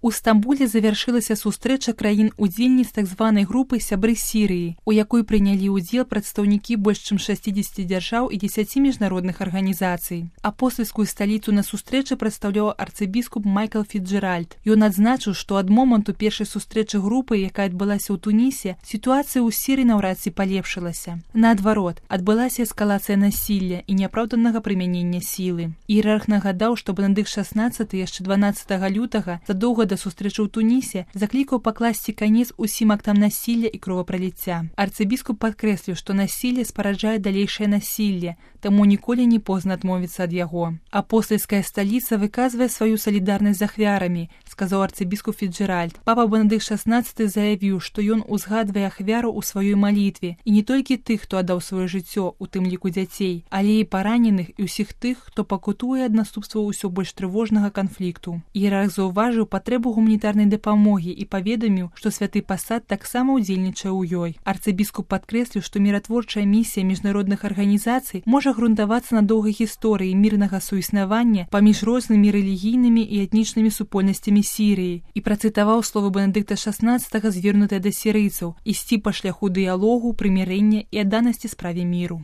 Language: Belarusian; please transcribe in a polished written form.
У Стамбуле завяршылася сустрэча краін-удзельніц так званай групы «Сябры Сірыі», у якой прынялі ўдзел прадстаўнікі больш чым 60 дзяржаў і 10 міжнародных арганізацый. Апостальскую сталіцу на сустрэчы прадстаўляў арцыбіскуп Майкл Фіцджеральд. Ён адзначыў, што ад моманту першай сустрэчы групы, якая адбылася ў Тунісе, сітуацыя ў Сірыі наўрад ці палепшылася. Наадварот, адбылася эскалацыя насілля і няапраўданага прымянення сілы. Іерарх нагадаў, што Бенедыкт XVI яшчэ 12 лютага, задоўга да сустрэчы ў Тунісе, заклікаў пакласці канец усім актам насілля і кровапраліцця. Арцыбіскуп падкрэсліў, што насілле спараджае далейшае насілле, таму ніколі не позна адмовіцца ад яго. Апостальская сталіца выказвае сваю салідарнасць з ахвярамі, сказаў арцыбіскуп Фіцджеральд. Папа Бенедыкт XVI заявіў, што ён узгадвае ахвяру ў сваёй малітве, і не толькі тых, хто аддаў сваё жыццё, у тым ліку дзяцей, але і параненых і ўсіх тых, хто пакутуе ад наступстваў усё больш трывожнага канфлікту. Іерарх заўважыў патрэбу гуманітарнай дапамогі і паведаміў, што святы пасад таксама ўдзельнічае ў ёй. Арцыбіскуп падкрэсліў, што міратворчая місія міжнародных арганізацый можа грунтавацца на доўгай гісторыі мірнага суіснавання паміж рознымі рэлігійнымі і этнічнымі супольнасцямі Сірыі і працытаваў словы Бенедыкта XVI, звернутыя да сірыйцаў, ісці па шляху дыялогу, прымірэння і адданасці справе міру.